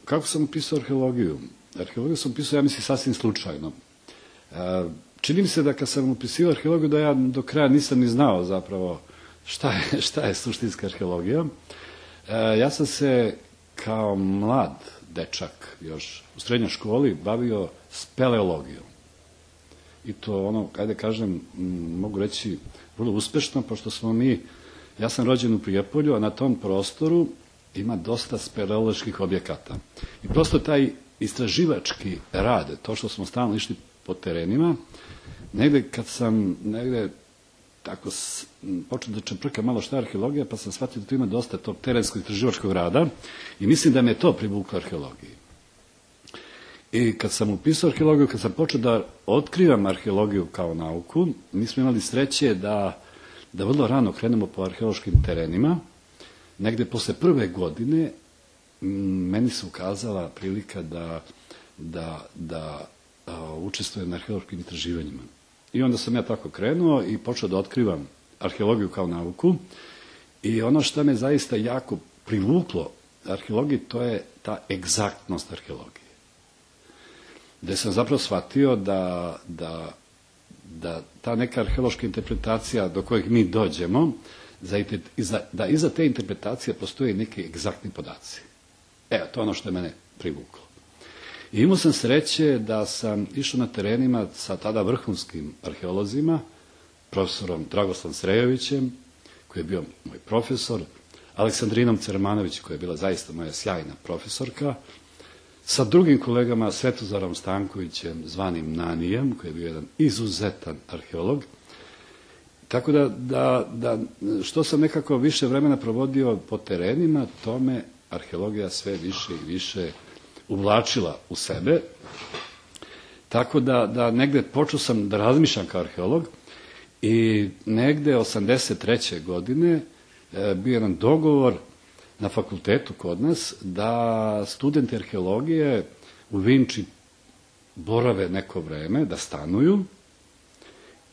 Kako sam upisao arheologiju? Arheologiju sam upisao, ja mislim, sasvim slučajno. Čini mi se da kad sam upisio arheologiju da ja do kraja nisam ni znao zapravo šta je suštinska arheologija. Ja sam se kao mlad dečak još u srednjoj školi bavio speleologijom. I to ajde kažem, mogu reći vrlo uspešno, pošto ja sam rođen u Prijepolju, a na tom prostoru ima dosta speleoloških objekata. I prosto taj istraživački rad, to što smo stalno išli po terenima, negde kad sam tako počeo da čeprkam malo šta je arheologija, pa sam shvatio da tu ima dosta tog terenskog istraživačkog rada i mislim da me to privuklo arheologiji. I kad sam upisao arheologiju, kad sam počeo da otkrivam arheologiju kao nauku, mi smo imali sreće da vrlo rano krenemo po arheološkim terenima. Negde posle prve godine meni se ukazala prilika da učestvujem na arheološkim istraživanjima. I onda sam ja tako krenuo i počeo da otkrivam arheologiju kao nauku. I ono što me zaista jako privuklo arheologiji, to je ta egzaktnost arheologije. Gde sam zapravo shvatio da ta neka arheološka interpretacija do kojeg mi dođemo, da iza te interpretacije postoje neki egzaktni podaci. Evo, to je ono što je mene privuklo. I imao sam sreće da sam išao na terenima sa tada vrhunskim arheolozima, profesorom Dragoslavom Srejovićem, koji je bio moj profesor, Aleksandrinom Cermanović, koja je bila zaista moja sjajna profesorka, sa drugim kolegama Svetozarom Stankovićem, zvanim Nanijem, koji je bio jedan izuzetan arheolog. Tako da što sam nekako više vremena provodio po terenima, to me arheologija sve više i više uvlačila u sebe. Tako da negde počeo sam da razmišljam kao arheolog i negde 83. godine bio jedan dogovor na fakultetu kod nas da studenti arheologije u Vinči borave neko vreme, da stanuju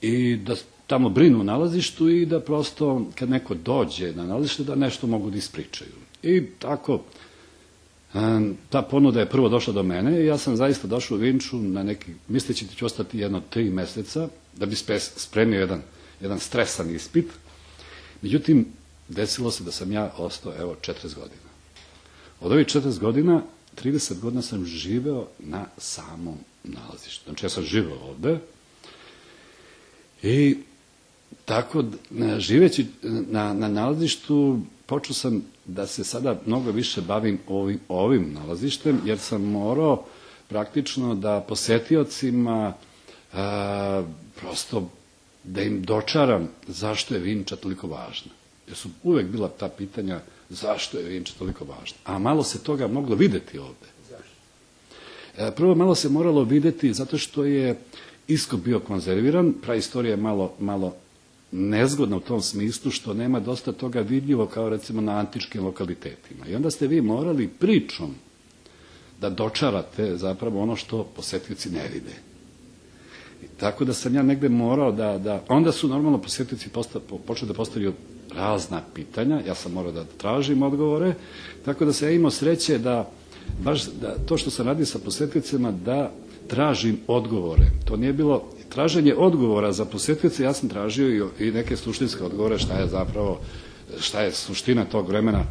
i da tamo brinu o nalazištu i da prosto kad neko dođe na nalazište da nešto mogu da ispričaju. I tako ta ponuda je prvo došla do mene i ja sam zaista došao u Vinču misleći da ću ostati 3 meseca da bi spremio jedan stresan ispit. Međutim, desilo se da sam ja ostao 40 godina. Od ovih 40 godina, 30 godina sam živeo na samom nalazištu. Znači ja sam živeo ovde i tako živeći na nalazištu počeo sam da se sada mnogo više bavim ovim nalazištem, jer sam morao praktično da posetiocima prosto da im dočaram zašto je Vinča toliko važna. Jer su uvek bila ta pitanja zašto je Vinča toliko važna. A malo se toga moglo videti ovde. Zašto? Prvo malo se moralo videti zato što je iskop bio konzerviran, praistorija je malo nezgodna u tom smislu što nema dosta toga vidljivo kao recimo na antičkim lokalitetima. I onda ste vi morali pričom da dočarate zapravo ono što posetioci ne vide. I tako da sam ja negde morao onda su normalno posetioci počeli da postavljaju razna pitanja, ja sam morao da tražim odgovore, tako da sam ja imao sreće da to što sam radio sa posetiocima da tražim odgovore. To nije bilo traženje odgovora za posetioce, ja sam tražio i neke suštinske odgovore šta je suština tog vremena